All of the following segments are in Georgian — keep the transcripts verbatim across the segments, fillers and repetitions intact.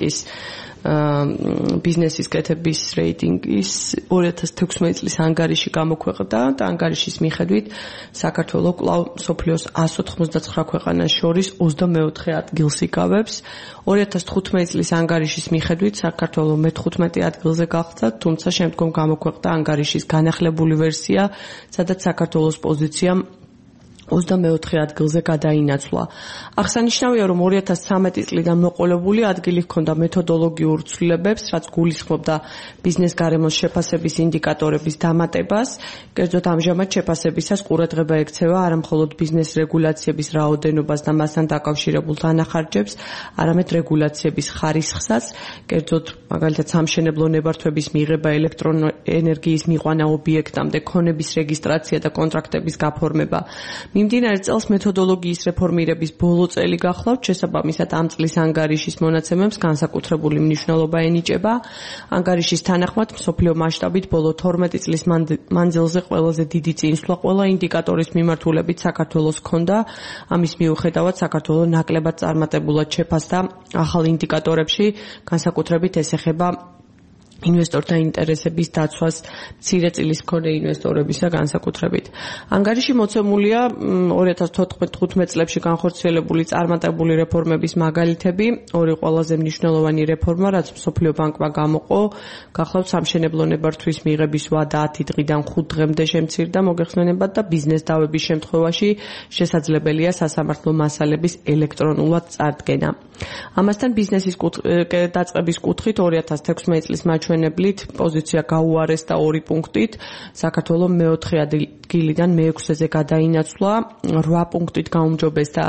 ეკონომიკის ბიზნესის კეთების რეიტინგის ორი ათას თექვსმეტი წლის ანგარიში გამოქვეყნდა და ანგარიშის მიხედვით საქართველო კვლავ მსოფლიოს εκατს ოთხმოცდაცხრა ქვეყანას შორის ოცდამეოთხე ადგილს იკავებს. ორი ათას თხუთმეტი წლის ანგარიშის მიხედვით საქართველო მეთხუთმეტე ადგილზე გახდა, თუმცა შემდგომ გამოქვეყნდა ანგარიშის განახლებული ვერსია, სადაც საქართველოს პოზიცია ოცდამეოთხე ადგილზე გადაინაცვლა. აღსანიშნავია, რომ ორი ათას ცხრამეტი წლიდან მოყოლებული ადგილი ჰქონდა მეთოდოლოგიურ ცვლილებებს, რაც გულისხმობდა ბიზნეს გარემოს შეფასების ინდიკატორების დამატებას. კერძოდ ამჟამად შეფასებისას ყურადღება ექცევა არა მხოლოდ ბიზნეს რეგულაციების რაოდენობას და მასთან დაკავშირებულ დანახარჯებს, არამედ რეგულაციების ხარისხსაც, კერძოდ მაგალითად სამშენებლო ნებართვების მიღება, ელექტროენერგიის მიყვანა ობიექტამდე, ქონების რეგისტრაცია და კონტრაქტების გაფორმება. მიმდინარე წელს მეთოდოლოგიის რეფორმირების ბოლო წელი გახლავთ, შესაბამისად ამ წლის ანგარიშის მონაცემებს განსაკუთრებული მნიშვნელობა ენიჭება. ანგარიშის თანახმად მსოფლიო მასშტაბით ბოლო თორმეტი წლის მანძილზე ყველაზე დიდი წინსვლა ყველა ინდიკატორის მიმართულებით საქართველოს ჰქონდა. ამის მიუხედავად საქართველო ნაკლებად წარმატებულად შეფასდა ახალ ინდიკატორებში, განსაკუთრებით ეს ეხება ინვესტორთა ინტერესების დაცვას მცირე წილის მქონე ინვესტორებისა განსაკუთრებით. ანგარიში მოცემულია ორი ათას თხუთმეტ წლებში განხორციელებული წარმატებული რეფორმების მაგალითები. ორი ყველაზე მნიშვნელოვანი რეფორმა, რაც მსოფლიო ბანკმა გამოყო, გახლავთ სამშენებლო ნებართვის მიღების ვადა ათი დღიდან ხუთ დღემდე შემცირდა მოგეხსენებათ და ბიზნეს დავების შემთხვევაში შესაძლებელია სასამართლო მასალების ელექტრონულად წარდგენა. ამასთან ბიზნესის დაწყების კუთხით ორი ათას თექვსმეტი წლის მაჩვენებლით პოზიცია გაუარესდა ორი პუნქტით, საქართველო მეოთხე ადგილიდან მეექვსეზე გადაინაცვლა, რვა პუნქტით გაუმჯობესდა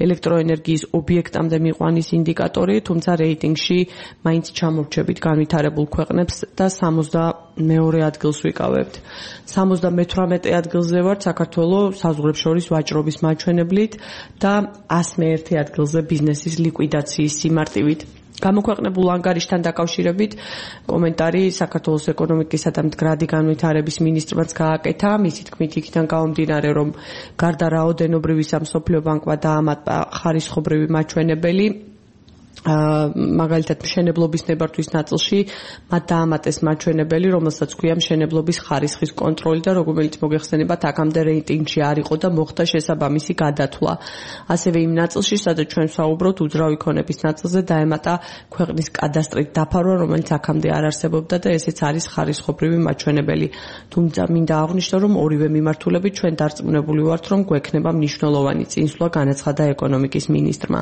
ელექტროენერგიის ობიექტამდე მიყვანის ინდიკატორი, თუმცა რეიტინგში მაინც ჩამორჩებით განვითარებულ ქვეყნებს და სამოცდამეორე ადგილს ვიკავებთ. სამოცდამეთვრამეტე ადგილზე ვართ საქართველო საზღვრებს შორის ვაჭრობის მაჩვენებლით და ასი მეერთე ადგილზე ბიზნესის ლიკვიდაციის სიმარტივით. გამოქვეყნებულ ანგარიშთან დაკავშირებით კომენტარი საქართველოს ეკონომიკისა და მდგრადი განვითარების მინისტრმაც გააკეთა. მისი თქმით, იქიდან გამომდინარე, რომ გარდა რაოდენობრივისა მსოფლიო ბანკმა დაამატა ხარისხობრივი მაჩვენებელი, მაგალითად მშენებლობის ნებართვის ნაწილში მათ დაამატეს მაჩვენებელი, რომელსაც ქვია მშენებლობის ხარისხის კონტროლი და რომელიც მოგეხსენებათ აქამდე რეიტინგში არ იყო და მოხდა შესაბამისი გადათვლა. ასევე იმ ნაწილში, სადაც ჩვენ ვსაუბრობთ უძრავი ქონების ნაწილზე დაემატა ქვეყნის კადასტრით დაფარვა, რომელიც აქამდე არ არსებობდა და ესეც არის ხარისხობრივი მაჩვენებელი. თუმცა მინდა აღვნიშნო, რომ ორივე მიმართულებით ჩვენ დარწმუნებული ვართ, რომ გვექნება მნიშვნელოვანი წინსვლა, განაცხადა ეკონომიკის მინისტრმა.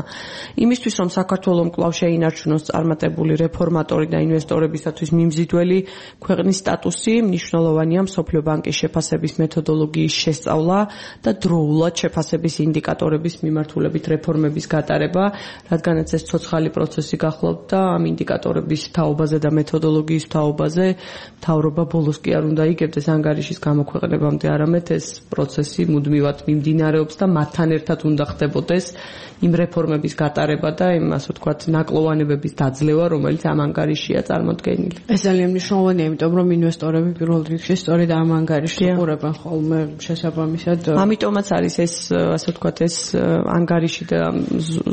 იმისთვის, რომ საქართველო კვლავ შეინარჩუნოს წარმატებული რეფორმატორი და ინვესტორებისათვის მიმზიდველი ქვეყნის სტატუსი, მნიშვნელოვანია მსოფლიო ბანკის შეფასების მეთოდოლოგიის შესწავლა და დროულად შეფასების ინდიკატორების მიმართულებით რეფორმების გატარება, რადგანაც ეს ცოცხალი პროცესი გახლავთ და ამ ინდიკატორების თაობაზე და მეთოდოლოგიის თაობაზე მთავრობა ბოლოს კი არ უნდა იგებდეს ანგარიშის გამოქვეყნებამდე, არამედ ეს პროცესი მუდმივად მიმდინარეობს და მათთან ერთად უნდა ხდებოდეს იმ რეფორმების გატარება და იმ ასე ვთქვათ ნაკლოვანებების დაძლევა, რომელიც ამ ანგარიშია წარმოდგენილი. ეს ძალიან მნიშვნელოვანია, იმიტომ რომ ინვესტორები პირველ რიგში სწორედ ამ ანგარიშს უყურებენ ხოლმე შესაბამისად. ამიტომაც არის ეს ასე ვთქვათ ეს ანგარიში და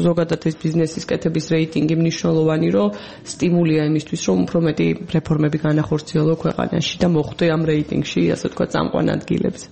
ზოგადად ეს ბიზნესის კეთების რეიტინგი მნიშვნელოვანი, რომ სტიმულია იმისთვის, რომ უფრო მეტი რეფორმები განახორციელო ქვეყანაში და მოხვდე ამ რეიტინგში, ასე ვთქვათ, წამყვან ადგილებზე.